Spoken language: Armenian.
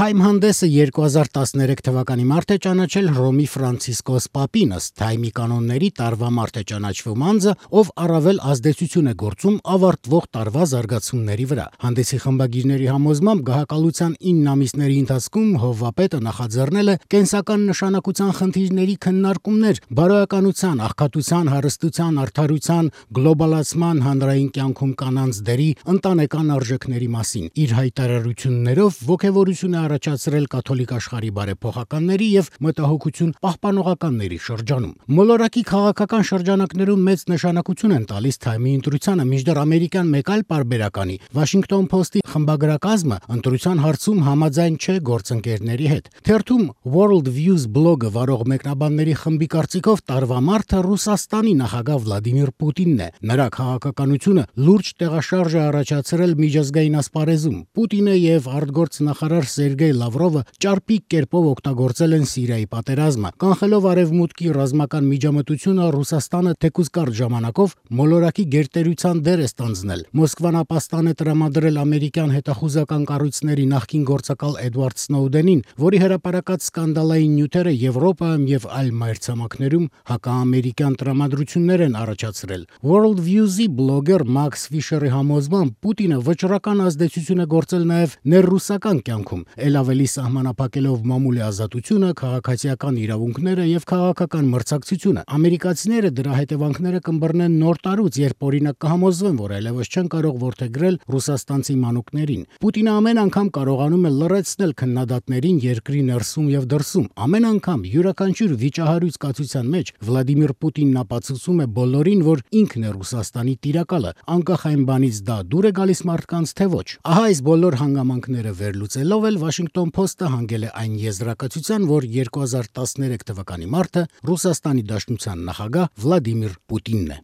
Թայմ հանդեսը 2013 թվականի մարտ է ճանաչել Հռոմի Ֆրանցիսկոս Պապին, ըստ Թայմի կանոնների տարվա մարտ է ճանաչվում անձը, ով առավել ազդեցություն է գործում ավարտվող տարվա զարգացումների վրա։ Հանդեսի խմբագիրների համոզմամբ գահակալության 9 ամիսների ընթացքում հովվապետը նախաձեռնել է կենսական նշանակության խնդիրների քննարկումներ բարոյականության, աղքատության, հարստության, արդարության, գլոբալացման, հանրային կյանքում կանանց դերի, ընտանեկան արժեքների մասին։ Իր հայտարարություններով ոգևորություն առաջացրել կաթոլիկ աշխարհի բարեփոխականների եւ մտահոգություն պահպանողականների շրջանում։ Մոլորակի քաղաքական շրջանակներում մեծ նշանակություն են տալիս Թայմի ընտրությանը, մինչդեռ ամերիկյան մեկ այլ պարբերականի Washington Post-ի խմբագրակազմը ընտրության հարցում համաձայն չէ գործընկերների հետ։ Թերթում World Views բլոգը վարող մեկնաբանների խմբի կարծիքով տարվա մարտը Ռուսաստանի նախագահ Վլադիմիր Պուտինն է։ Նրա քաղաքականությունը լուրջ տեղաշարժ է առաջացրել միջազգային ասպարեզում։ Պուտինը եւ արտգործնախարար Սերգեյ Լավրովը ճարպիկ կերպով օգտագործել են Սիրիայի պատերազմը, կանխելով արևմուտքի ռազմական միջամտությունը Ռուսաստանը թեկուզ կարճ ժամանակով մոլորակի գերտերության դեր է ստանձնել։ Մոսկվան ապաստան է տրամադրել ամերիկյան հետախուզական կառույցների նախկին գործակալ Էդվարդ Սնոուդենին, որի հրապարակած սկանդալային նյութերը Եվրոպայում եւ այլ մայրցամաքներում հակաամերիկյան տրամադրություններ են առաջացրել։ World Views-ի բլոգեր Մաքս Ֆիշերի համոզմամբ Պուտինը վճռական ազդեցություն է գործել նաեւ ներռուսական կյանքում, ել ավելի սահմանափակելով մամուլի ազատությունը, քաղաքացիական իրավունքները եւ քաղաքական մրցակցությունը։ Ամերիկացիները դրա հետևանքները կըմբռնեն նոր տարուց, երբ օրինակ կհամոզվեն, որ այլևս չեն կարող որդեգրել ռուսաստանցի մանուկներին։ Պուտինը ամեն անգամ կարողանում է լրացնել քննադատներին երկրի ներսում եւ դրսում։ Ամեն անգամ յուրաքանչյուր վիճահարույց կացության մեջ Վլադիմիր Պուտինն ապացուցում է բոլորին, որ ինքն է Ռուսաստանի տիրակալը, անկախ այն բանից դա դուր է գալիս մարդկանց թե ոչ։ Ահա այս բոլոր հանգամանքները վերլուծելով էլ Washington Post-ը հանգել է այն եզրակացության, որ 2013 թվականի մարտը Ռուսաստանի Դաշնության նախագահ Վլադիմիր Պուտինն է։